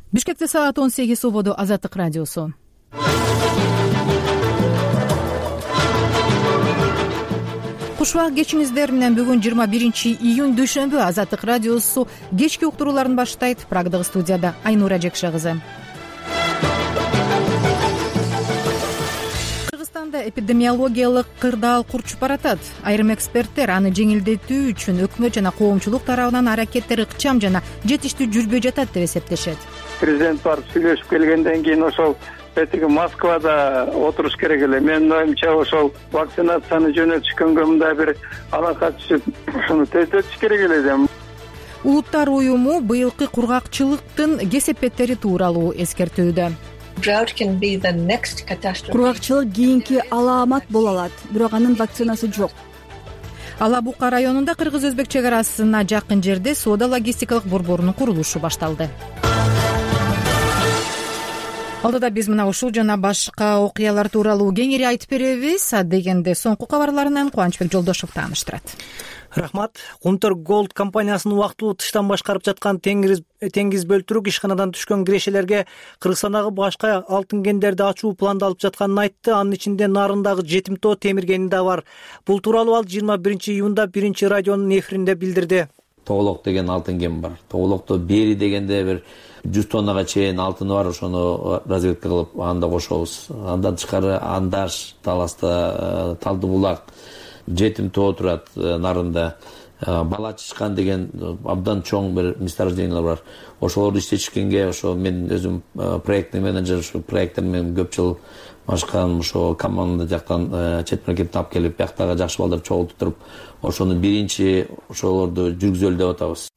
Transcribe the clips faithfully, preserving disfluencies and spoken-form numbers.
Бишкекте саат он сегиз убоду. Азаттык радиосу. Куш убак кечиңиздер менен. Бүгүн жыйырма биринчи июнь дүйшөмбү. Азаттык радиосу кечки уктурууларын баштайт. Прагдагы студияда Айнура Жекше кызы. Кыргызстанда эпидемиологиялык кырдаал курчуп баратат. Айрым эксперттер аны жеңилдетүү үчүн өкмөт жана коомчулук тарабынан аракеттер ыкчам жана жетиштүү жүрбөй жатат деп эсептешет. Президент барып сүйлөшүп келгенден кийин ошол этиги Москвада отуруш керек эле. Менин оюмча ошол вакцинацияны жөнөтүшкөнгө мындай бир алака түшүп ушуну тездетиш керек эле дейм. Улуттар уюму быйылкы кургакчылыктын кесепеттери тууралуу эскертүүдө. Кургакчылык кийинки алаамат боло алат, бирок анын вакцинасы жок. Ала Бука районунда кыргыз-өзбек чек арасына жакын жерде соода-логистикалык борборунун курулушу башталды. Алдыда биз мына ушул жана башка окуялар тууралуу кеңири айтып беребиз. Дегенде соңку кабарларынан Кубанычбек Жолдошев тааныштырат. Рахмат. Кумтөр Голд компаниясынын убактылуу тыштан башкарып жаткан теңиз теңиз бөлтүрүк ишканадан түшкөн кирешелерге Кыргызстандагы башка алтын кендерди ачуу пландалып жатканын айтты. Анын ичинде Нарындагы жетим тоо темир кени да бар. Бул тууралуу ал жыйырма биринчи июнда биринчи радионун эфиринде билдирди. Тоголок деген алтын кен бар. Тоголокто бери дегенде бир жүз тоннага чейин алтыны бар. Ошону разведка кылып анда кошобуз. Андан тышкары Андаш, Таласта, Талды булак, жетим тоо турат Нарында. Бала чычкан деген абдан чоң бир месторождениялар бар. Ошолорду иштетишкенге ошо мен өзүм проектный менеджер, ушу проекттер менен көп жыл машкан, ошо команда жактан чет мамлекеттен алып келип, бияктагы жакшы балдарды чогултуп, ошону биринчи ошолорду жүргүзөлү деп атабыз.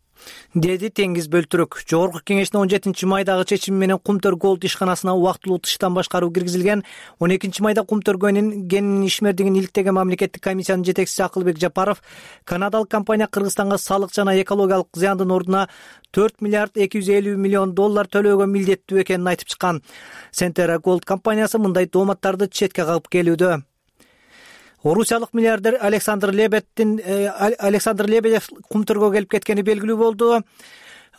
Деди Теңиз Бөлтүрүк. Жогорку кеңештин он жетинчи майдагы чечими менен Кумтөр Голд ишканасына убактылуу тыштан башкаруу киргизилген. он экинчи майда Кумтөр кенинин ишмердигин иликтеген мамлекеттик комиссиянын жетекчиси Акылбек Жапаров канадалык компания Кыргызстанга салык жана экологиялык зыяндын ордуна төрт миллиард эки жүз элүү миллион доллар төлөөгө милдеттүү экенин айтып чыккан. Сентера Голд компаниясы мындай тооматтарды четке кагып келүүдө. Орусиялык миллиардер Александр Лебедтин Александр Лебедев Кумтөргө келип кеткени белгилүү болду.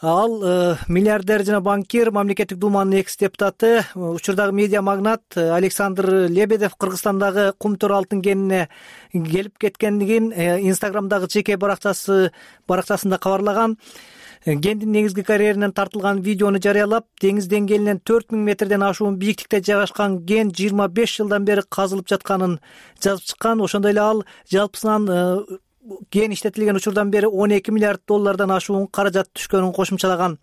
Ал э, миллиардер жана банкир, мамлекеттик думанын экс депутаты, учурдагы медиа магнат Александр Лебедев Кыргызстандагы Кумтөр алтын кенине келип кеткендигин э, Инстаграмдагы жеке баракчасы баракчасында кабарлаган. Кендин негизги карьеринен тартылган видеону жарыялап, деңиз деңгээлинен төрт миң метрден ашуун бийиктикте жайгашкан кен жыйырма беш жылдан бери казылып жатканын жазып чыккан. Ошондой эле ал жалпысынан кен иштетилген учурдан бери он эки миллиард доллардан ашуун каражат түшкөнүн кошумчалаган.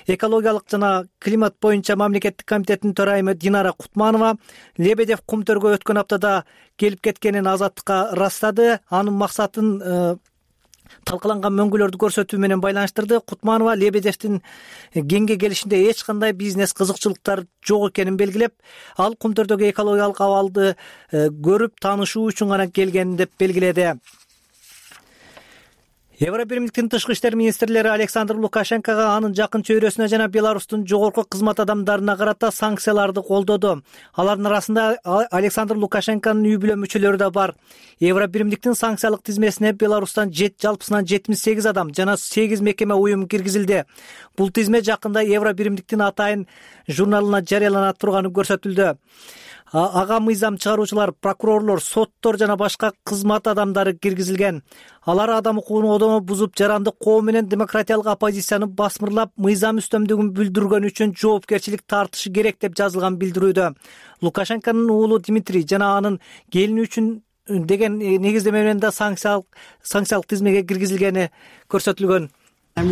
Экологиялык жана климат боюнча мамлекеттик комитеттин төрайымы Динара Кутманова Лебедев Кумтөргө өткөн аптада келип кеткенин Азаттыкка ырастады. Анын максатын талкаланган мөңгүлөрдү көрсөтүү менен байланыштырды. Кутманова Лебедевдин кенге келишинде эч кандай бизнес кызыкчылыктар жок экенин белгилеп, ал Кумтөрдөгү экологиялык абалды көрүп таанышуу үчүн гана келген деп белгиледи. Евробиримдиктин тышкы иштер министрлери Александр Лукашенкого, анын жакын чөйрөсүнө жана Беларустун жогорку кызмат адамдарына карата санкцияларды колдоду. Алардын арасында Александр Лукашенконун үй бүлө мүчөлөрү да бар. Евробиримдиктин санкциялык тизмесине Беларустан жалпысынан жетимиш сегиз адам жана сегиз мекеме уюм киргизилди. Бул тизме жакында Евробиримдиктин атайын журналына жарыялана турганы көрсөтүлдү. Ага мыйзам чыгаруучулар, прокурорлор, соттор жана башка кызмат адамдары киргизилген. Алар адам укугун одомо бузуп, жарандык коом менен демократиялык оппозицияны басмырлап, мыйзам үстөмдүгүн бүлдүргөн үчүн жоопкерчилик тартышы керек деп жазылган билдирүүдө. Лукашенконун уулу Дмитрий жана анын келини үчүн деген негиздеме менен да санкциялык санкциялык тизмеге киргизилгени көрсөтүлгөн. Мен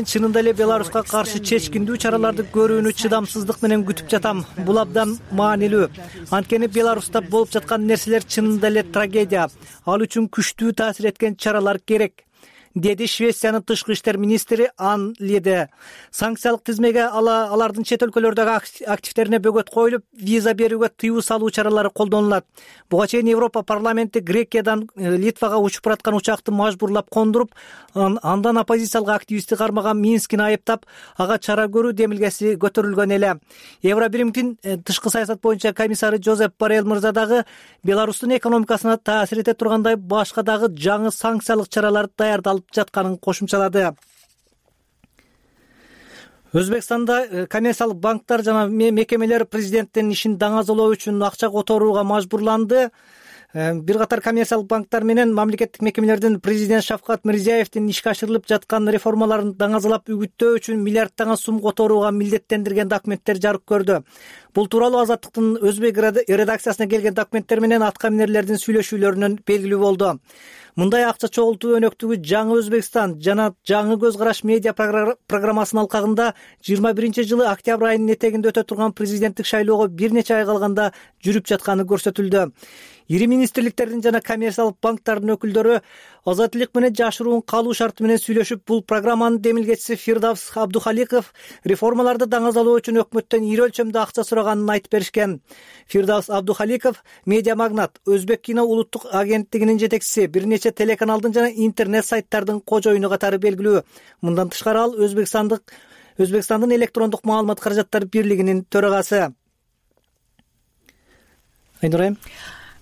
чынында эле Беларуска каршы чечкиндүү чараларды көрүүнү чыдамсыздык менен күтүп жатам. Бул абдан маанилүү. Анткени Беларуста болуп жаткан нерселер чынында эле трагедия. Ал үчүн күчтүү таасир эткен чаралар керек, деди Швециянын тышкы иштер министри Ан Лиде. Санкциялык тизмеге ала алардын чет өлкөлөрдөгү активдерине бөгөт коюлуп, виза берүүгө тыюу салуу чаралары колдонулат. Буга чейин Европа парламенти Грекиядан Литвага учуп бараткан учакты мажбурлап кондуруп, андан оппозициялык активистти кармаган Минскини айыптап, ага чара көрүү демилгеси көтөрүлгөн эле. Евробиримдин тышкы саясат боюнча комиссары Жозеп Боррелл мырза дагы Беларустун экономикасына таасир эте тургандай башка дагы жаңы санкциялык чаралар даярдалып жатканын кошумчалады. Өзбекстанда коммерциялык банктар жана мекемелер президенттин ишин даңазалоо үчүн акча которууга мажбурланды. Бир катар коммерциялык банктар менен мамлекеттик мекемелердин президент Шавкат Мирзиеевдин ишке ашырылып жаткан реформаларын даңазалап үгүттөө үчүн миллиарддаган сум которууга милдеттендирген документтер жарык көрдү. Бул тууралуу Азаттыктын өзбек редакциясына келген документтер менен аткаминерлердин сүйлөшүүлөрүнөн белгилүү болду. Мындай акча чогултуу өнөктүгү Жаңы Өзбекстан жана Жаңы көз караш медиа программасынын алкагында жыйырма биринчи жылы октябрь айынын этегинде өтө турган президенттик шайлоого бир нече ай калганда жүрүп жатканы көрсөтүлдү. Ири министрликтердин жана коммерциялык банктардын өкүлдөрү азаттык менен жашыруун калуу шарты менен сүйлөшүп, бул программанын демилгечиси Фирдавс Абдухаликов реформаларды даңазалоо үчүн өкмөттөн ири өлчөмдө акча сураганын айтып беришкен. Фирдавс Абдухаликов медиа магнат, Өзбек кино улуттук агенттигинин жетекчиси, бир нече телеканалдын жана интернет сайттардын кожоюну катары белгилүү. Мындан тышкары ал Өзбекстандык Өзбекстандын электрондук маалымат каражаттары бирлигинин төрагасы. Айнурайым.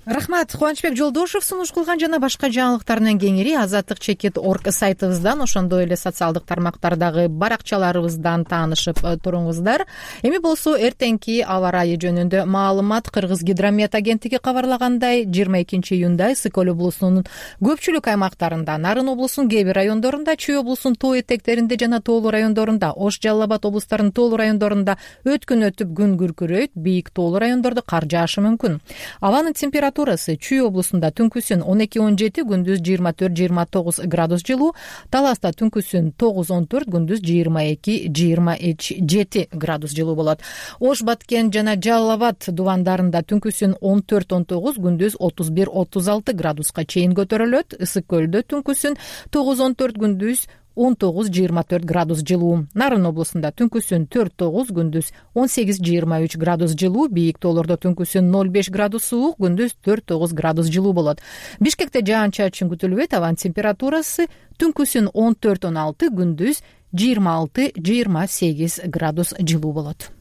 Рахмат. Кубанычбек Жолдошев сунуш кылган жана башка жаңылыктардан кеңири азаттык чекит точка орг сайтыбыздан, ошондой эле социалдык тармактардагы баракчаларыбыздан таанышып туруңуздар. Эми болсо эртеңки аба ырайы жөнүндө маалымат. Кыргыз гидромет агенттиги кабарлагандай, жыйырма экинчи июнда Ысык-Көл облусунун көпчүлүк аймактарында, Нарын облусунун кээ бир райондорунда, Чүй облусунун тоо этектеринде жана тоолуу райондорунда, Ош, Жалал Абад облустарынын тоолуу райондорунда өткүн өтүп күн күркүрөйт, бийик тоолуу райондордо кар жаашы мүмкүн. Абанын температурасы Чүй облусунда түнкүсүн он эки он жети, күндүз жыйырма төрт жыйырма тогуз градус жылуу, Таласта түнкүсүн тогуз он төрт, күндүз жыйырма эки жыйырма жети градус жылуу болот. Ош, Баткен жана Жалал Абад дубандарында түнкүсүн он төрт он тогуз, күндүз отуз бир отуз алты градуска чейин көтөрүлөт. Ысык-Көлдө түнкүсүн тогуз он төрт, күндүз он тогуз жыйырма төрт градус жылуу. Нарын облусунда түнкүсүн төрт тогуз, күндүз он сегиз жыйырма үч градус жылуу. Бийик тоолордо түнкүсүн ноль беш градус суук, күндүз төрт тогуз градус жылуу болот. Бишкекте жаан-чачын күтүлбөйт. Абанын температурасы түнкүсүн он төрт он алты, күндүз жыйырма алты жыйырма сегиз градус жылуу болот.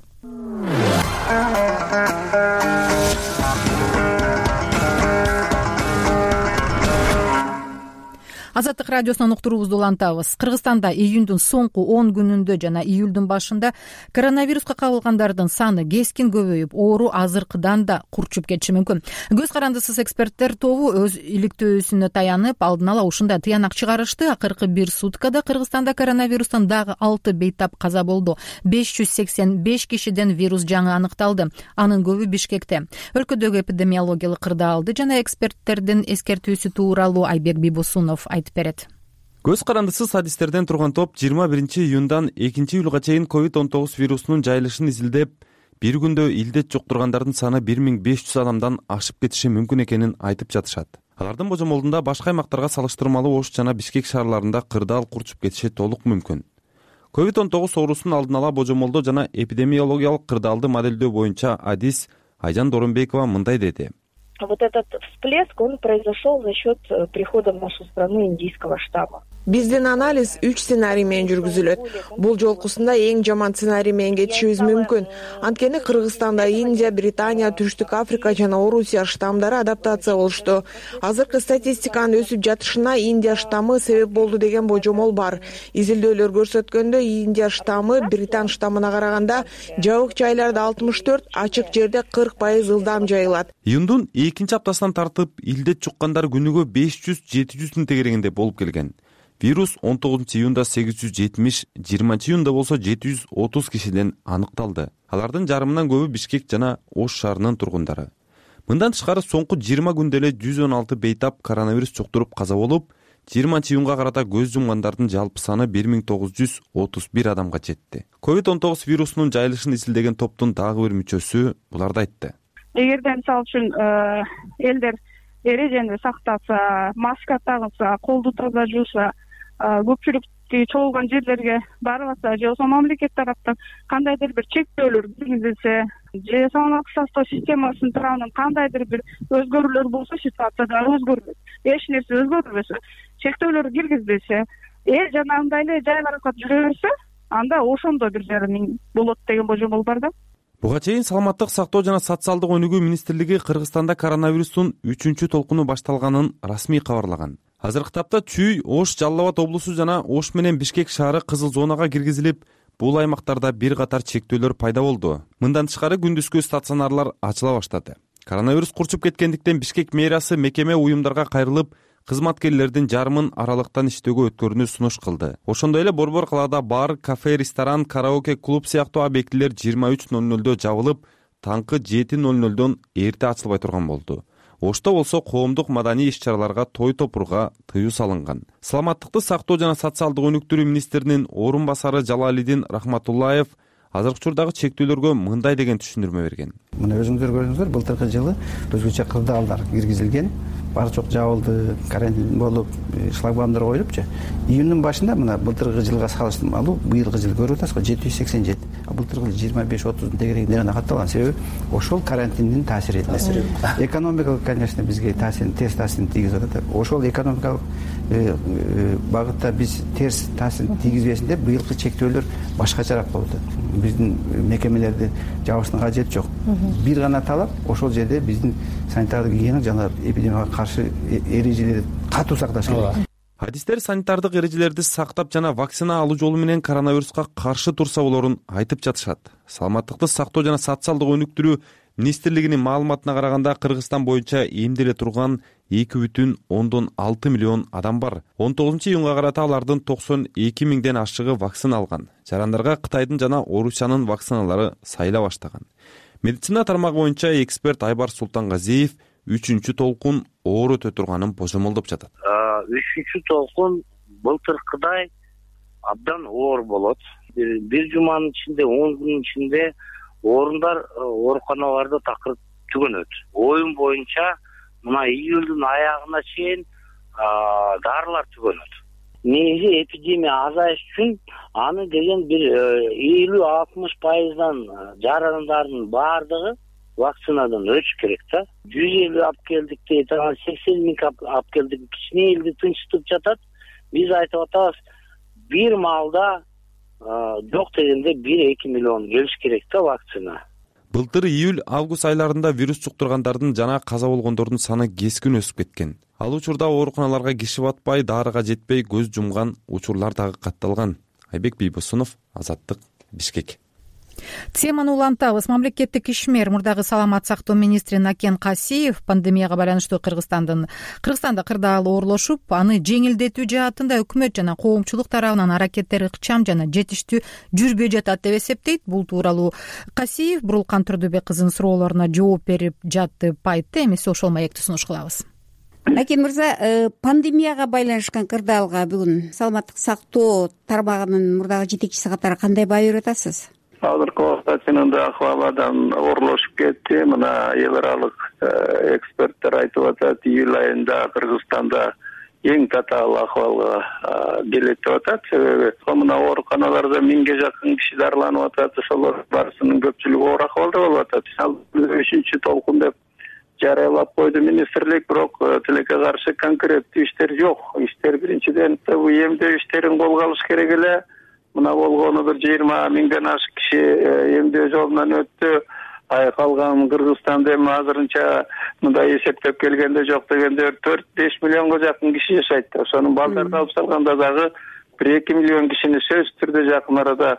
Азаттык радиосунан уктуруубузду улантабыз. Кыргызстанда июндун соңку он күнүндө жана июлдун башында коронавируска кабылгандардын саны кескин көбөйүп, оору азыркыдан да курчуп кетиши мүмкүн. Көз карандысыз эксперттер тобу өз иликтөөсүнө таянып, алдын ала ушундай тыянак чыгарышты. Акыркы бир суткада Кыргызстанда коронавирустан дагы алты бейтап каза болду. беш жүз сексен беш кишиден вирус жаңы аныкталды. Анын көбү Бишкекте. Өлкөдөгү эпидемиологиялык кырдаалды жана эксперттердин эскертүүсү тууралуу Айбек Бибосунов берет. Көз карандысыз адистерден турган топ жыйырма биринчи июндан экинчи июлга чейин ковид он тогуз вирусунун жайылышын изилдеп, бир күндө илдет жуктургандардын саны бир миң беш жүз адамдан ашып кетиши мүмкүн экенин айтып жатышат. Алардын божомолунда башка аймактарга салыштырмалуу Ош жана Бишкек шаарларында кырдаал курчуп кетиши толук мүмкүн. ковид он тогуз оорусунун алдын ала божомолдоо жана эпидемиологиялык кырдаалды моделдөө боюнча адис Айжан Доронбекова мындай деди. Вот этот всплеск, он произошел за счет прихода в нашу страну индийского штамма. Биздин анализ үч сценарий менен жүргүзүлөт. Бул жолкусунда эң жаман сценарий менен кетишибиз мүмкүн. Анткени Кыргызстанда Индия, Британия, Түштүк Африка жана Орусия штамдары адаптация болушту. Азыркы статистиканын өсүп жатышына Индия штаммы себеп болду деген божомол бар. Изилдөөлөр көрсөткөндө Индия штаммы Британ штаммына караганда жабык жайларда алтымыш төрт, ачык жерде кырк пайыз ылдам жайылат. Июндун экинчи аптасынан тартып илдет жуккандар күнүгө беш жүз жети жүздүн тегерегинде болуп келген. Вирус он тогузунчу июнда сегиз жүз жетимиш, жыйырманчы июнда болсо жети жүз отуз кишиден аныкталды. Алардын жарымынан көбү Бишкек жана Ош шаарынын тургундары. Мындан тышкары соңку жыйырма күндө эле жүз он алты бейтап коронавирус жуктуруп каза болуп, жыйырманчы июнга карата көз жумгандардын жалпы саны бир миң тогуз жүз отуз бир адамга жетти. ковид он тогуз вирусунун жайылышын изилдеген топтун дагы бир мүчөсү буларды айтты. Эгерде мисалы үчүн элдер эрежени сактаса, маска тагса, колду таза жууса, көпчүлүктү чогулган жерлерге барбаса, же болбосо мамлекет тараптан кандайдыр бир чектөөлөр киргизилсе, же саламаттык сактоо системасынын тарабынан кандайдыр бир өзгөрүүлөр болсо, ситуация да өзгөрбөйт. Эч нерсе өзгөрбөсө, чектөөлөр киргизилсе, эл жана андай эле жайларга жүрө берсе, анда ошондо бир жарым болот деген божомол бар да. Буга чейин Саламаттык сактоо жана социалдык өнүгүү министрлиги Кыргызстанда коронавирустун үчүнчү толкуну башталганын расмий кабарлаган. Азыркы тапта Чүй, Ош, Жалал Абад облусу жана Ош менен Бишкек шаары кызыл зонага киргизилип, бул аймактарда бир катар чектөөлөр пайда болду. Мындан тышкары күндүзгү стационарлар ачыла баштады. Коронавирус курчуп кеткендиктен Бишкек мэриясы мекеме уюмдарга кайрылып, кызматкерлердин жарымын аралыктан иштөөгө өткөрүүнү сунуш кылды. Ошондой эле Борбор калаада бар, кафе, ресторан, караоке, клуб сыяктуу объектилер жыйырма үч ноль нольдо жабылып, таңкы жети ноль нольдон эрте ачылбай турган болду. Ошто болсо коомдук маданий иш-чараларга, той топурга тыюу салынган. Саламаттыкты сактоо жана социалдык өнүктүрүү министринин орун басары Жалалидин Рахматуллаев азыркы учурдагы чектөөлөргө мындай деген түшүндүрмө берген. Мына өзүңүздөр көрдүңүздөр, былтыркы жылы өзгөчө кырдаалдар киргизилген, бар жок жабылды, карантин болуп, шлагбаумдар коюлупчу. Июндун башында мына былтыркы жылга салыштырма алуу, быйылкы жылы көрүп атасызбы, жети жүз сексен жети. А былтыркы жылы жыйырма беш отуздун тегерегинде гана катталган. Себеби ошол карантиндин таасири. Экономикалык, конечно, бизге таасирин, терс таасирин тийгизип атат. Ошол экономикалык багытта биз терс таасирин тийгизбесин деп быйылкы чектөөлөр башкачараак болуп атат. Биздин мекемелерди жабыштын кажети жок. Бир гана талап ошол жерде биздин санитардык гигиена жана эпидемияга каршы эрежелерди катуу сакташ керек. Адистер санитардык эрежелерди сактап жана вакцина алуу жолу менен коронавируска каршы турса болорун айтып жатышат. Саламаттыкты сактоо жана социалдык өнүктүрүү министрлигинин маалыматына караганда Кыргызстан боюнча эмделе турган эки бүтүн ондон алты миллион адам бар. он тогузунчу июнга карата алардын токсон эки миңден ашыгы вакцина алган. Жарандарга Кытайдын жана Орусиянын вакциналары сайыла баштаган. Медицина тармагы боюнча эксперт Айбар Султангазиев үчүнчү толкун оор өтө турганын божомолдоп жатат. Үчүнчү толкун былтыркыдай абдан оор болот. Бир жуманын ичинде, он күнүн ичинде орундар, ооруканаларда такыр түгөнөт. Оюн боюнча мына июлдун аягына чейин дарылар түгөнөт. Негизи эпидемия азайыш үчүн аны деген бир элүү алтымыш пайыздан жарандардын баардыгы вакцинадан өтүш керек да. жүз элүү алып келдик дейт, сексен миң алып келдик, кичине элди тынчтып жатат. Биз айтып атабыз, бир маалда жок дегенде бир эки миллион келиш керек да вакцина. Былтыр июль август айларында вирус жуктургандардын жана каза болгондордун саны кескин өсүп кеткен. Ал учурда ооруканаларга киши батпай, дарыга жетпей көз жумган учурлар дагы катталган. Айбек Бийбосунов, Азаттык, Бишкек. Теманы улантабыз. Мамлекеттик ишмер мурдагы саламат сактоо министри Накен Касиев пандемияга байланыштуу Кыргызстандын Кыргызстанда кырдаал оорлошуп, аны жеңилдетүү жаатында өкмөт жана коомчулук тарабынан аракеттер ыкчам жана жетиштүү жүрбөй жатат деп эсептейт. Бул тууралуу Касиев Бурулкан Турдубек кызынын суроолоруна жооп берип жатты, айтты. Эмесе ошол маекти сунуш кылабыз. Накен мырза, пандемияга байланышкан кырдаалга бүгүн саламаттык сактоо тармагынын мурдагы жетекчиси катары кандай баа берип атасыз? Азыркы убакта чынында акыбал абдан оорлошуп кетти. Мына эл аралык эксперттер айтып атат, июль айында Кыргызстанда эң татаал акыбалга келет деп атат. Себеби мына ооруканаларда миңге жакын киши дарыланып атат. Ошолор барысынын көпчүлүгү оор акыбалда болуп атат. Ал үчүнчү толкун деп жарыялап койду министрлик, бирок тилекке каршы конкреттүү иштер жок. Иштер биринчиден бул эмдөө иштерин колго алыш керек эле. Мына болгону бир жыйырма миңден ашык киши эмдөө жолунан өттү. Ай калган Кыргызстанда эми азырынча мындай эсептеп келгенде жок дегенде төрт беш миллионго жакын киши жашайт. Ошонун балдарды алып салганда дагы бир эки миллион кишини сөзсүз түрдө жакын арада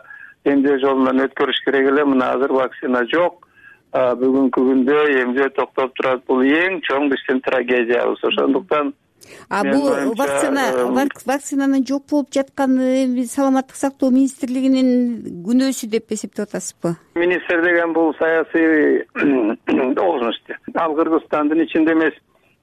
эмдөө жолунан өткөрүш керек эле. Мына азыр вакцина жок. Бүгүнкү күндө эмдөө токтоп турат. Бул эң чоң биздин трагедиябыз. Ошондуктан А бул вакцина вакцинанын жок болуп жатканы саламаттык сактоо министрлигинин күнөөсү деп эсептеп атасызбы? Министр деген бул саясий должность. Ал Кыргызстандын ичинде эмес,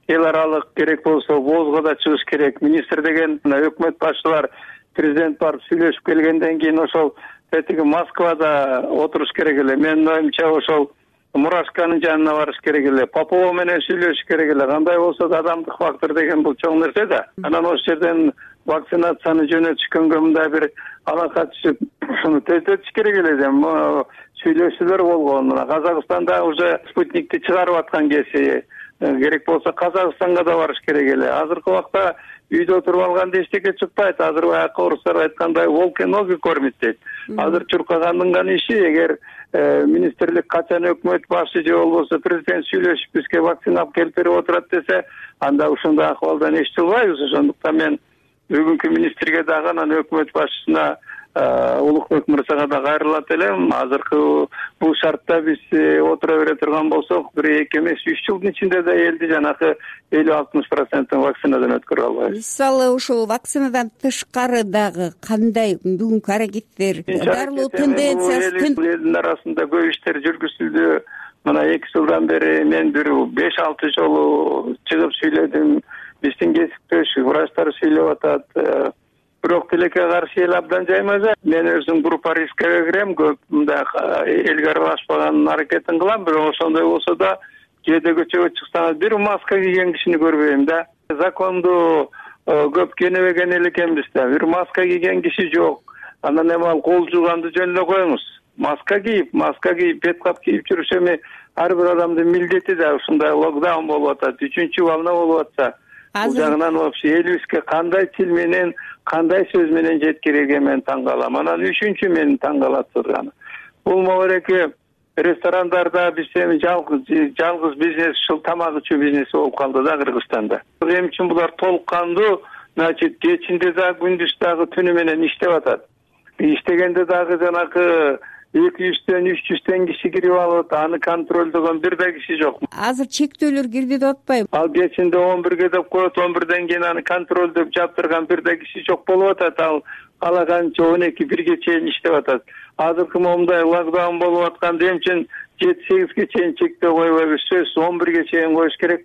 эл аралык керек болсо воозго да чыгыш керек. Министр деген өкмөт башчылар, президент барып сүйлөшүп келгенден кийин ошол тетиги Москвада отуруш керек эле. Менин оюмча ошол Мурашканын жанына барыш керек эле, Попова менен сүйлөшүш керек эле. Кандай болсо да адамдык фактор деген бул чоң нерсе да. Анан ошол жерден вакцинацияны жөнөтүшкөнгө мындай бир алака түшүп, ушуну тездетиш керек эле деп сүйлөшүүлөр болгон. Мына Казакстанда уже спутникти чыгарып аткан кези, керек болсо Казакстанга да барыш керек эле. Азыркы убакта үйдө отуруп алганда эчтеке чыкпайт. Азыр баягы орустар айткандай волки ноги кормит дейт. Азыр чуркагандын гана иши, эгер министрлик качан өкмөт башы же болбосо президент сүйлөшүп бизге вакцина алып келип берип отурат десе, анда ушундай акыбалдан эч жылбайбыз. Ошондуктан мен бүгүнкү министрге дагы анан өкмөт башчысына Улукбек мырзага да кайрылат элем. Азыркы бул шартта биз отура бере турган болсок, бир эки эмес үч жылдын ичинде да элди жанагы элүү алтымыш процентин вакцинадан өткөрө албайбыз. Мисалы ушул вакцинадан тышкары дагы кандай бүгүнкү аракеттер, дарылоо тенденциясы? Элдин арасында көп иштер жүргүзүлдү. Мына эки жылдан бери мен бир беш алты жолу чыгып сүйлөдүм. Биздин кесиптеш врачтар сүйлөп атат. Бирок тилекке каршы эл абдан жаймаса. Мен өзүм группа рискке кирем, көп мындай элге аралашпаганын аракетин кылам. Бирок ошондой болсо да кээде көчөгө чыксаңыз бир маска кийген кишини көрбөйм да. Законду көп кенебеген эл экенбиз да. Бир маска кийген киши жок. Анан эми ал кол жууганды жөн эле коюңуз. Маска кийип, маска кийип, бет кап кийип жүрүш эми ар бир адамдын милдети да. Ушундай локдаун болуп атат, үчүнчү волна болуп атса. Бул жагынан вообще элибизге кандай тил менен, кандай сөз менен жеткирүүгө мен таң калам. Анан үчүнчү мен таң калат турганы. Бул могереки ресторандарда биз эми жалгыз жалгыз бизнес, ушул тамак ичүү бизнеси болуп калды да Кыргызстанда. Эми үчүн булар толук кандуу, значит, кечинде дагы күндүз дагы түнү менен иштеп атат. Иштегенде дагы жанагы эки жүздөн үч жүздөн киши кирип алып, аны контролдогон бир да киши жок. Азыр чектөөлөр кирди деп атпайбы? Ал кечинде он бирге деп коет, он бирден кийин аны контролдоп жаптырган бир да киши жок болуп атат. Ал калаганча он эки бирге чейин иштеп атат. Азыркы момундай локдаун болуп атканда эми үчүн жети сегизге чейин чектөө койбойбуз, сөзсүз он бирге чейин коюш керек.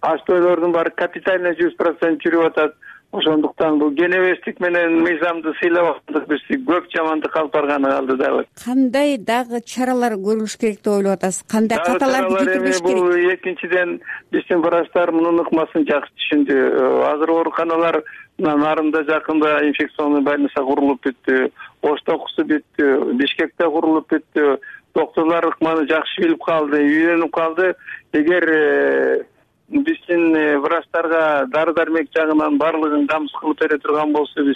Аштойлордун баары капитально жүз процент жүрүп атат. Ошондуктан бул кенебестик менен мыйзамды сыйлап атат, биз көп жамандык алып барганы калды дагы. Кандай дагы чаралар көрүлүш керек деп ойлоп атасыз? Кандай каталарды бүтүрүш керек? Бул экинчиден биздин врачтар мунун ыкмасын жакшы түшүндү. Азыр ооруканалар нарында жакында инфекционный больница курулуп бүттү, Ош токусу бүттү, Бишкекте курулуп бүттү. Докторлор ыкманы жакшы билип калды, үйрөнүп калды. Эгер биздин врачтарга дары дармек жагынан баардыгын камсыз кылып бере турган болсо, биз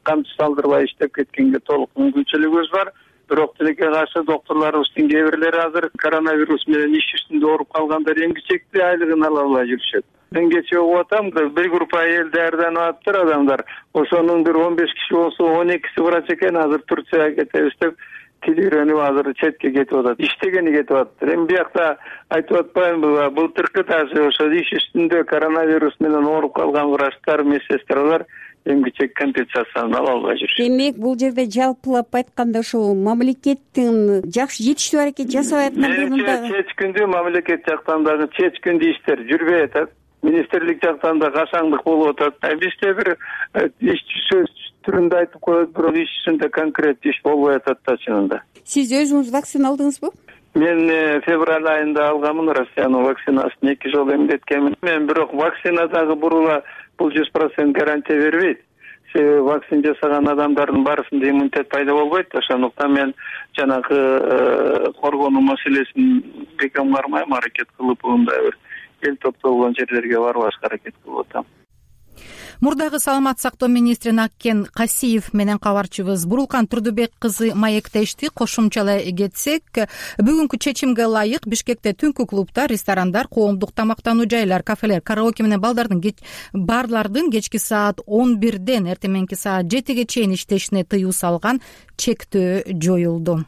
камчы салдырбай иштеп кеткенге толук мүмкүнчүлүгүбүз бар. Бирок тилекке каршы докторлорубуздун кээ бирлери азыр коронавирус менен иш жүзүндө ооруп калгандар эмгичекти айлыгын ала албай жүрүшөт. Мен кечээ угуп атам, бир группа эл даярданып атыптыр адамдар. Ошонун бир он беш киши болсо он экиси врач экен, азыр Турцияга кетебиз деп тил үйрөнүп азыр четке кетип атат. Иштегени кетип атат. Эми биякта айтып атпаймынбы, былтыркы даже ошо иш үстүндө коронавирус менен ооруп калган врачтар, медсестралар эмгичек компенсациясын ала албай жүрүшөт. Демек, бул жерде жалпылап айтканда ошо мамлекеттин жакшы жетиштүү аракет жасап аткандыгын дагы чечкиндүү мамлекет жактан дагы чечкиндүү иштер жүрбөй атат. Министрлик жактан да кашаңдык болуп атат. Бизде бир иш сөз түрүндө айтып коет, бирок иш жүзүндө конкрет иш болбой атат да чынында. Сиз өзүңүз вакцина алдыңызбы? Мен февраль айында алганмын Россиянын вакцинасын, эки жолу эмдеткенмин. Мен бирок вакцина дагы бурула бул жүз процент гарантия бербейт. Себеби вакцина жасаган адамдардын баарысында иммунитет пайда болбойт. Ошондуктан мен жанагы коргонуу маселесин бекем кармайм, аракет кылып мындай бир эл топтолгон жерлерге барбашка аракет кылып атам. Мурдагы саламат сактоо министри Наккен Касиев менен кабарчыбыз Бурулкан Турдубек кызы маектешти. Кошумчалай кетсек, бүгүнкү чечимге ылайык Бишкекте түнкү клубдар, ресторандар, коомдук тамактануу жайлар, кафелер, караоке менен балдардын барлардын кечки саат он бирден эртең саат жетиге чейин иштешине тыюу салган чектөө жоюлду.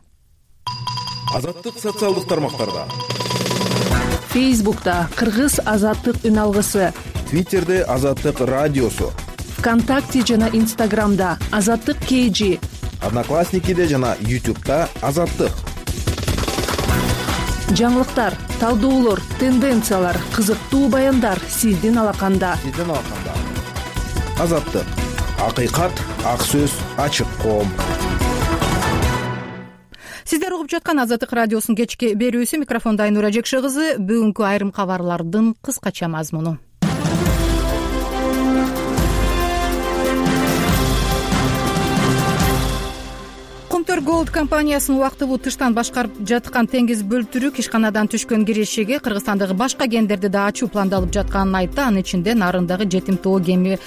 Азаттык социалдык тармактарда. Фейсбукта Кыргыз азаттык үн алгысы, Твиттерде Азаттык радиосу, ВКонтакте жана Инстаграмда Азаттык кей жи, Одноклассникиде жана Ютубта Азаттык. Жаңылыктар, талдоолор, тенденциялар, кызыктуу баяндар сиздин алаканда. Сиздин алаканда. Азаттык. Акыйкат, ак сөз, ачык коом. Сиздер угуп жаткан Азаттык радиосунун кечки берүүсү. Микрофондо Айнура Жекше кызы. Бүгүнкү айрым кабарлардын кыскача мазмуну. Кумтөр Голд компаниясынын убактылуу тыштан башкарып жаткан теңиз бөлтүрүк ишканадан түшкөн кирешеге Кыргызстандагы башка кендерди да ачуу пландалып жатканын айтты. Анын ичинде нарындагы жетим тоо темир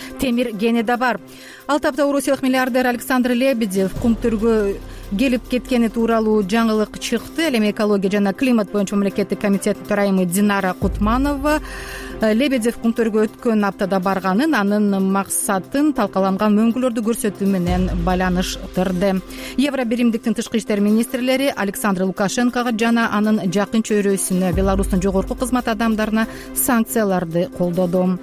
кени да бар. Ал тапта орусиялык миллиардер Александр Лебедев кумтөргө келип кеткени тууралуу жаңылык чыкты. Ал эми экология жана климат боюнча мамлекеттик комитеттин төрайымы Динара Кутманова Лебедев Кумтөргө өткөн аптада барганын, анын максатын талкаланган мөңгүлөрдү көрсөтүү менен байланыштырды. Евро биримдиктин тышкы иштер министрлери Александр Лукашенкого жана анын жакын чөйрөсүнө, Беларустун жогорку кызмат адамдарына санкцияларды колдоду.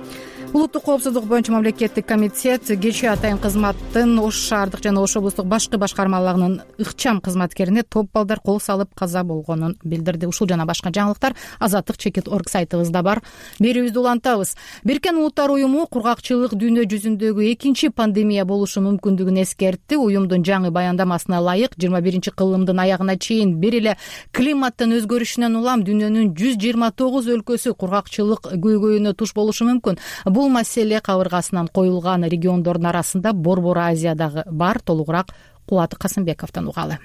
Улуттук коопсуздук боюнча мамлекеттик комитет кечээ атайын кызматтын Ош шаардык жана Ош облустук башкы башкармаларынын ыкчам кызматкерине топ балдар кол салып каза болгонун билдирди. Ушул жана башка жаңылыктар азаттык чекит точка орг сайтыбызда бар. Берүүбүздү улантабыз. Бириккен Улуттар уюму кургакчылык дүйнө жүзүндөгү экинчи пандемия болушу мүмкүндүгүн эскертти. Уюмдун жаңы баяндамасына ылайык жыйырма биринчи кылымдын аягына чейин бир эле климаттын өзгөрүшүнөн улам дүйнөнүн жүз жыйырма тогуз өлкөсү кургакчылык көйгөйүнө туш болушу мүмкүн. Бул маселе кабыргасынан коюлган региондордун арасында Борбор Азиядагы бар. Толугураак Кубат Касымбековдон угалы.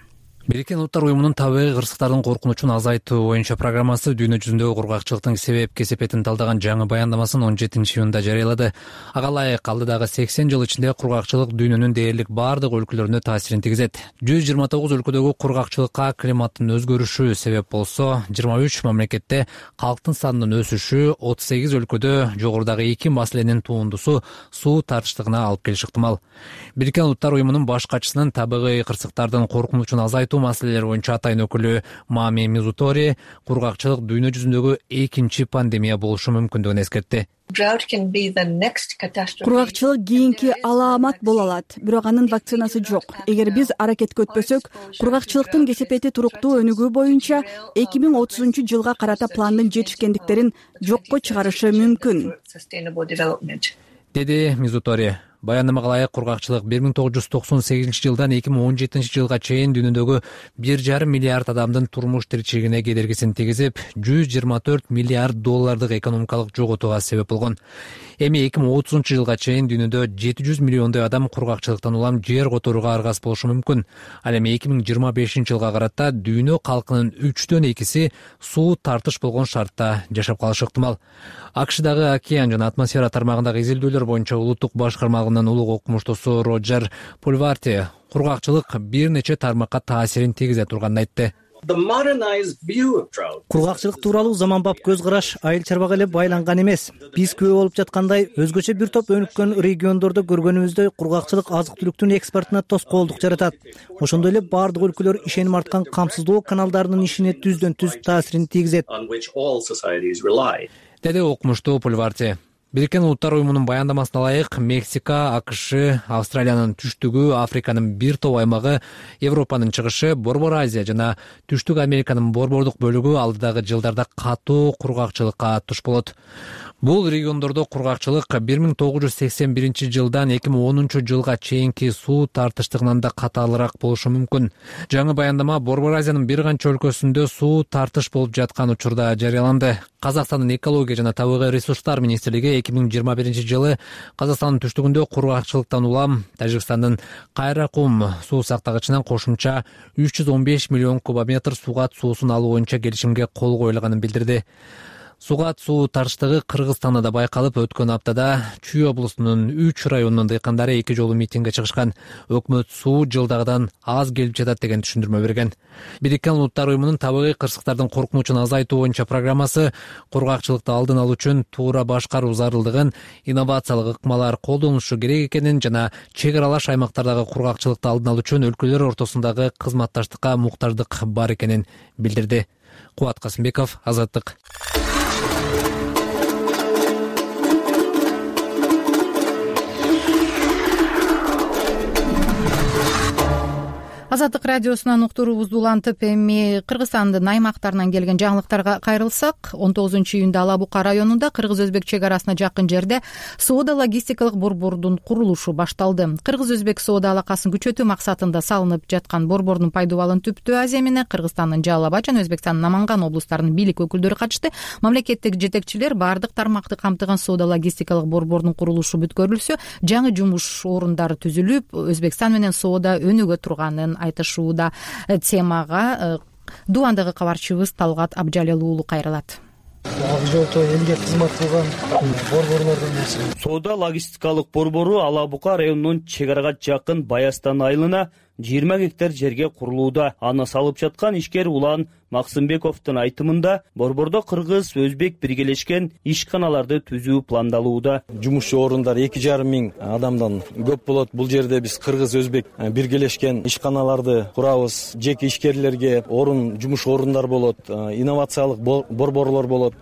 Бириккен Улуттар уюмунун табигый кырсыктардын коркунучун азайтуу боюнча программасы дүйнө жүзүндөгү кургакчылыктын себеп кесепетин талдаган жаңы баяндамасын он жетинчи июнда жарыялады. Ага ылайык алдыдагы сексен жыл ичинде кургакчылык дүйнөнүн дээрлик бардык өлкөлөрүнө таасирин тийгизет. жүз жыйырма тогуз өлкөдөгү кургакчылыкка климаттын өзгөрүшү себеп болсо, жыйырма үч мамлекетте калктын санынын өсүшү, отуз сегиз өлкөдө жогорудагы эки маселенин туундусу суу тартыштыгына алып келиши ыктымал. Бириккен Улуттар уюмунун баш катчысынын табигый кырсыктардын коркунучун азайтуу маселелери боюнча атайын өкүлү Мами Мизутори кургакчылык дүйнө жүзүндөгү экинчи пандемия болушу мүмкүндүгүн эскертти. Кургакчылык кийинки алаамат боло алат, бирок анын вакцинасы жок. Эгер биз аракетке өтпөсөк, кургакчылыктын кесепети туруктуу өнүгүү боюнча эки миң отузунчу жылга карата пландын жетишкендиктерин жокко чыгарышы мүмкүн, деди Мизутори. Баяндамага ылайык кургакчылык бир миң тогуз жүз токсон сегизинчи жылдан эки миң он жетинчи жылга чейин дүйнөдөгү бир жарым миллиард адамдын турмуш тиричилигине кедергисин тийгизип, жүз жыйырма төрт миллиард доллардык экономикалык жоготууга себеп болгон. Эми эки миң отузунчу жылга чейин дүйнөдө жети жүз миллиондой адам кургакчылыктан улам жер которууга аргас болушу мүмкүн. Ал эми эки миң жыйырма бешинчи жылга карата дүйнө калкынын үчтөн экиси суу тартыш болгон шартта жашап калышы ыктымал. АКШдагы океан жана атмосфера тармагындагы изилдөөлөр боюнча улуттук башкармалыгынын улуг окумуштуусу Роджер Пульварти кургакчылык бир нече тармакка таасирин тийгизе турганын айтты. Кургакчылык тууралуу заманбап көз караш айыл чарбага эле байланган эмес. Биз күбө болуп жаткандай өзгөчө бир топ өнүккөн региондордо көргөнүбүздөй кургакчылык азык-түлүктүн экспортуна тоскоолдук жаратат. Ошондой эле бардык өлкөлөр ишеним арткан камсыздоо каналдарынын ишине түздөн түз таасирин тийгизет, деди окумуштуу Пульварти. Бириккен Улуттар уюмунун баяндамасына ылайык Мексика, АКШ, Австралиянын түштүгү, Африканын бир топ аймагы, Европанын чыгышы, Борбор Азия жана Түштүк Американын борбордук бөлүгү алдыдагы жылдарда катуу кургакчылыкка туш болот. Бул региондордо кургакчылык бир миң тогуз жүз сексен биринчи жылдан эки миң онунчу жылга чейинки суу тартыштыгынан да катаалыраак болушу мүмкүн. Жаңы баяндама Борбор Азиянын бир канча өлкөсүндө суу тартыш болуп жаткан учурда жарыяланды. Казакстандын экология жана табигый ресурстар министрлиги эки миң жыйырма биринчи жылы Казакстандын түштүгүндө кургакчылыктан улам Тажикстандын Кайракум суу сактагычынан кошумча үч жүз он беш миллион кубометр сугат суусун алуу боюнча келишимге кол коюлганын билдирди. Сугат суу тартыштыгы Кыргызстанда да байкалып, өткөн аптада Чүй облусунун үч районунун дыйкандары эки жолу митингге чыгышкан. Өкмөт суу жылдагыдан аз келип жатат деген түшүндүрмө берген. Бириккен Улуттар уюмунун табигый кырсыктардын коркунучун азайтуу боюнча программасы кургакчылыкты алдын алуу үчүн туура башкаруу зарылдыгын, инновациялык ыкмалар колдонулушу керек экенин жана чек аралаш аймактардагы кургакчылыкты алдын алуу үчүн өлкөлөр ортосундагы кызматташтыкка муктаждык бар экенин билдирди. Кубат Касымбеков, Азаттык. Азаттык радиосунан уктуруубузду улантып, эми Кыргызстандын аймактарынан келген жаңылыктарга кайрылсак, он тогузунчу июнда Ала Бука районунда кыргыз-өзбек чек арасына жакын жерде соода логистикалык борбордун курулушу башталды. Кыргыз-өзбек соода алакасын күчөтүү максатында салынып жаткан борбордун пайдубалын Түптүү Азия менен Кыргызстандын Жалал Абад жана Өзбекстандын Наманган облустарынын бийлик өкүлдөрү катышты. Мамлекеттик жетекчилер бардык тармакты камтыган соода логистикалык борбордун курулушу бүткөрүлсө, жаңы жумуш орундары түзүлүп, Өзбекстан менен соода өнүгө турганын айтышууда. Темага Дубандагы кабарчыбыз Талгат Абжалел уулу кайрылат. Ак жолто элге кызмат кылган борборлордун нерсе. Соода логистикалык борбору Ала Бука районунун чек арага жакын Баястан айылына жыйырма гектар жерге курулууда. Аны салып жаткан ишкер Улан Максымбековдун айтымында борбордо кыргыз өзбек биргелешкен ишканаларды түзүү пландалууда. Жумушчу орундар эки жарым миң адамдан көп болот. Бул жерде биз кыргыз өзбек биргелешкен ишканаларды курабыз. Жеке ишкерлерге орун, жумуш орундар болот, инновациялык борборлор болот.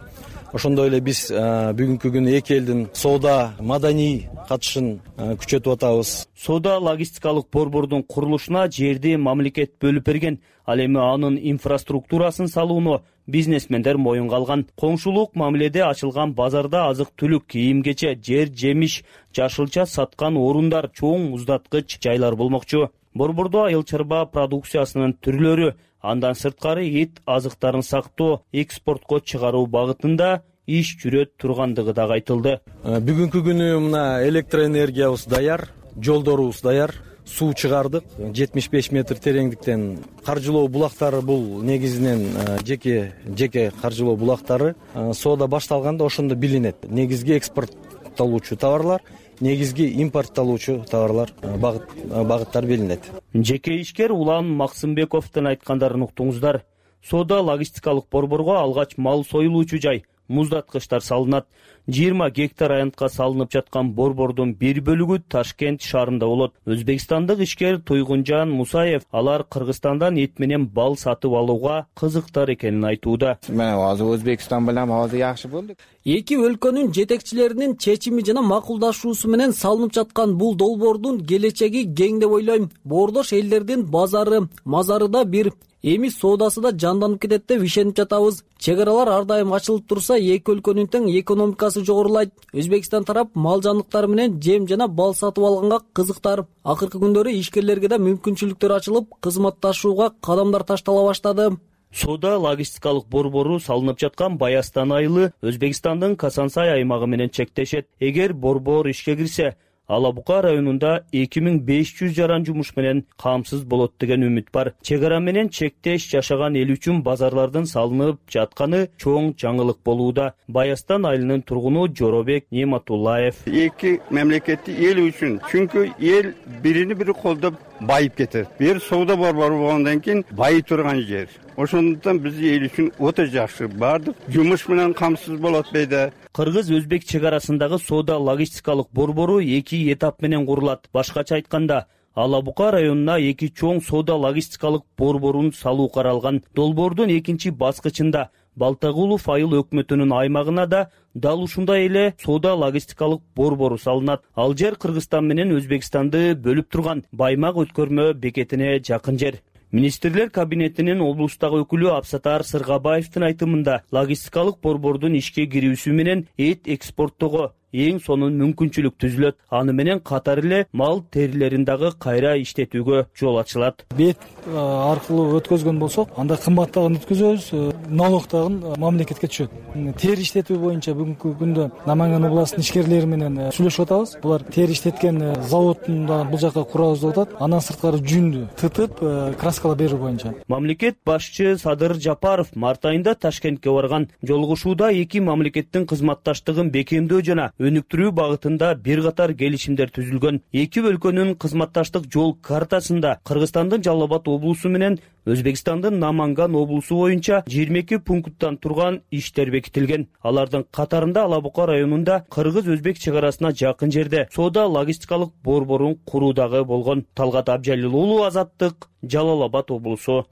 Ошондой эле биз бүгүнкү күнү эки элдин соода маданий катышын күчөтүп атабыз. Соода логистикалык борбордун курулушуна жерди мамлекет бөлүп берген. Ал эми анын инфраструктурасын салууну бизнесмендер моюнга алган. Коңшулук мамиледе ачылган базарда азык-түлүк, кийим-кече, жер, жемиш, жашылча саткан орундар, чоң муздаткыч жайлар болмокчу. Борбордо айыл чарба продукциясынын түрлөрү, андан сырткары эт азыктарын сактоо, экспортко чыгаруу багытында иш жүрөт тургандыгы дагы айтылды. Бүгүнкү күнү мына электроэнергиябыз даяр, жолдорубуз даяр, суу чыгардык жетимиш беш метр тереңдиктен. Каржылоо булактары бул негизинен жеке жеке каржылоо булактары. Соода башталганда ошондо билинет. Негизги экспорттолуучу товарлар, негизги импорттолуучу товарлар багыт багыттар билинет. Жеке ишкер Улан Максымбековдун айткандарын уктуңуздар. Соода логистикалык борборго алгач мал союлуучу жай, муздаткычтар салынат. жыйырма гектар аянтка салынып жаткан борбордун бир бөлүгү Ташкент шаарында болот. Өзбекстандык ишкер Туйгунжан Мусаев алар Кыргызстандан эт менен бал сатып алууга кызыктар экенин айтууда. Мен азыр Өзбекстан менен азыр жакшы болду. Эки өлкөнүн жетекчилеринин чечими жана макулдашуусу менен салынып жаткан бул долбоордун келечеги кең деп ойлойм. Боордош элдердин базары, мазары да бир. Эми соодасы да жанданып кетет деп ишенип жатабыз. Чек аралар ар дайым ачылып турса, эки өлкөнүн тең экономикасы жогорулайт. Өзбекстан тарап мал жандыктары менен жем жана бал сатып алганга кызыктар. Акыркы күндөрү ишкерлерге да мүмкүнчүлүктөр ачылып, кызматташууга кадамдар таштала баштады. Соода логистикалык борбору салынып жаткан Баястан айылы Өзбекстандын Касансай аймагы менен чектешет. Эгер борбор ишке кирсе, Алабука районунда эки миң беш жүз жаран жумуш менен камсыз болот деген үмүт бар. Чек ара менен чектеш жашаган эл үчүн базарлардын салынып жатканы чоң жаңылык болууда. Баястан айылынын тургуну Жоробек Нематуллаев. Эки мамлекетти эл үчүн, чүнкү эл бирини бири колдоп байып кетет. Бир соода борбору болгондон кийин байый турган жер. Ошондуктан биз эл үчүн өтө жакшы. Бардык жумуш менен камсыз болот дейди. Кыргыз-өзбек чек арасындагы соода логистикалык борбору эки этап менен курулат. Башкача айтканда, Алабука районуна эки чоң соода логистикалык борборун салуу каралган. Долбоордун экинчи баскычында Балтагулов айыл өкмөтүнүн аймагына да дал ушундай эле соода логистикалык борбору салынат. Ал жер Кыргызстан менен Өзбекстанды бөлүп турган Баймак өткөрмө бекетине жакын жер. Министрлер кабинетинин облустагы өкүлү Абсатар Сыргабаевдин айтымында, логистикалык борбордун ишке кирүүсү менен эт экспорттоого эң сонун мүмкүнчүлүк түзүлөт. Аны менен катар эле мал терилерин дагы кайра иштетүүгө жол ачылат. Бет аркылуу өткөзгөн болсок, анда кымбаттагын өткөзөбүз, налогтагын мамлекетке түшөт. Тери иштетүү боюнча бүгүнкү күндө Наманган областынын ишкерлери менен сүйлөшүп атабыз. Булар тери иштеткен заводунда бул жака курабыз деп атат. Андан сырткары жүндү тытып, краскалап берүү боюнча. Мамлекет башчы Садыр Жапаров март айында Ташкентке барган. Жолугушууда эки мамлекеттин кызматташтыгын бекемдөө жана өнүктүрүү багытында бир катар келишимдер түзүлгөн. Эки өлкөнүн кызматташтык жол картасында Кыргызстандын Жалал Абад облусу менен Өзбекстандын Наманган облусу боюнча жыйырма эки пункттан турган иштер бекитилген. Алардын катарында Алабука районунда Кыргыз-Өзбек чек арасына жакын жерде соода логистикалык борборун куруу дагы болгон. Талгат Абжалил уулу, Азаттык, Жалал Абад облусу.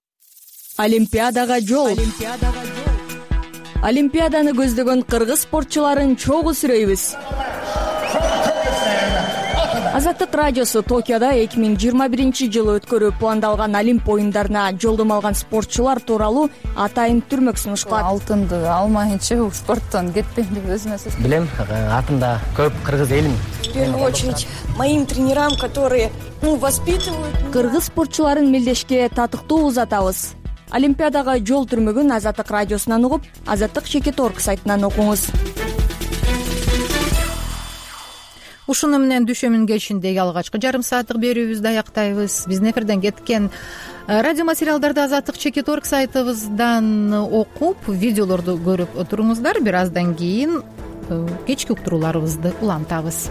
Олимпиадага жол. Олимпиаданы көздөгөн кыргыз спортчуларын чогуу сүрөйбүз. Азаттык радиосу Токиодо эки миң жыйырма биринчи жылы өткөрүү пландалган Олимп оюндарына жолдомо алган спортчулар тууралуу атайын түрмөк сунуш кылат. Алтынды алмайынча спорттон кетпейм деп өзүмө сөз. Билем, артымда көп кыргыз элим. В первую очередь моим тренерам, которые воспитывают. Кыргыз спортчуларын мелдешке татыктуу узатабыз. Олимпиадага жол түрмөгүн Азаттык радиосунан угуп, азаттык чекит точка орг сайтынан окуңуз. Ушуну менен дүшөмүн кечиндеги алгачкы жарым сааттык берүүбүздү аяктайбыз. Биздин эфирден кеткен радио материалдарды азаттык чекит точка орг сайтыбыздан окуп, видеолорду көрүп туруңуздар. Бир аздан кийин кечки уктурууларыбызды улантабыз.